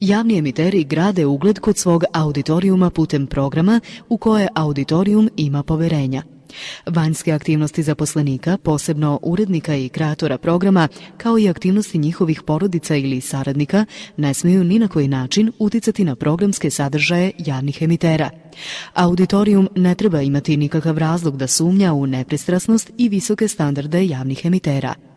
Javni emiteri grade ugled kod svog auditorijuma putem programa u koje auditorijum ima poverenja. Vanjske aktivnosti zaposlenika, posebno urednika i kreatora programa, kao i aktivnosti njihovih porodica ili saradnika, ne smiju ni na koji način uticati na programske sadržaje javnih emitera. Auditorijum ne treba imati nikakav razlog da sumnja u nepristrasnost i visoke standarde javnih emitera.